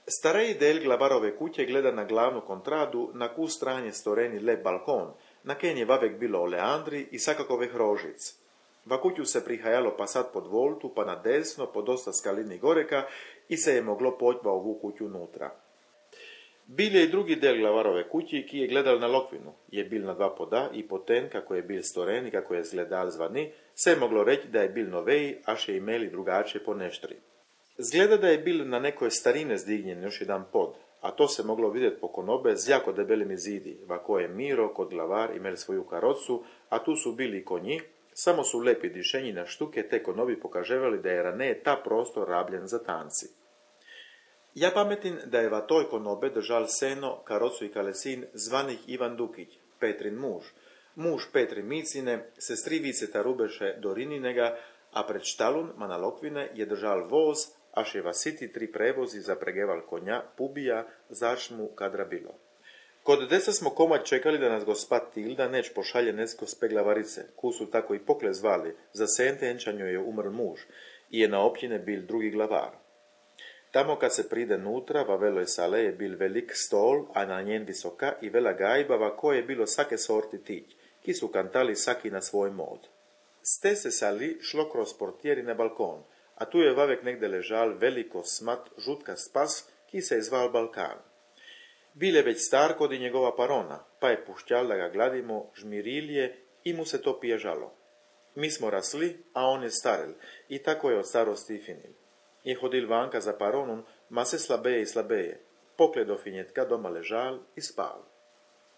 Starej del glavarove kuće gleda na glavnu kontradu, na ku stranje storeni lep balkon, na ken je vavek bilo oleandri i sakakove hrožic. Va kuću se prihajalo pa sad pod voltu, pa na desno, po dosta skalini goreka i se je moglo poći ovu kuću nutra. Bil je i drugi del glavarove kući, ki je gledal na Lokvinu, je bil na dva poda i poten, kako je bil storen i kako je zgledal zvani, se je moglo reći da je bil noveji, až je imeli drugače po neštri. Zgleda da je bil na nekoj starine zdignjen još jedan pod, a to se moglo vidjeti po konobe z jako debelimi zidi, vako je Miro kod glavar imel svoju karocu, a tu su bili konji, samo su lepi dišenji na štuke te konobi pokaževali da je raneje ta prostor rabljen za tanci. Ja pametim da je va toj konobe držal seno, karocu i kalesin zvanih Ivan Dukić, Petrin muž Petri Micine, sestrivice Tarubeše Dorininega, a pred štalun mana Lokvine je držal voz, až je vasiti 3 prevozi zapregeval konja, pubija, začmu kadra bilo. Kod desa smo komad čekali da nas gospa Tilda neć pošalje nesko speglavarice, ku su tako i pokle zvali, za sentenčanju je umrl muž i je na općine bil drugi glavar. Tamo kad se pride nutra, va veloj sale je bil velik stol, a na njen visoka i vela gajba, va koje je bilo sake sorti tić, ki su kantali saki na svoj mod. S te se sali šlo kroz portjeri na balkon, a tu je vavek negde ležal veliko smat žutka spas, ki se je zval Balkan. Bil je već star kod i njegova parona, pa je pušćal da ga gladimo žmirilje i mu se to piježalo. Mi smo rasli, a on je starel, i tako je od starosti i finil. Je hodil vanka za paronom, ma se slabeje i slabeje, pokle do finjetka doma ležal i spal.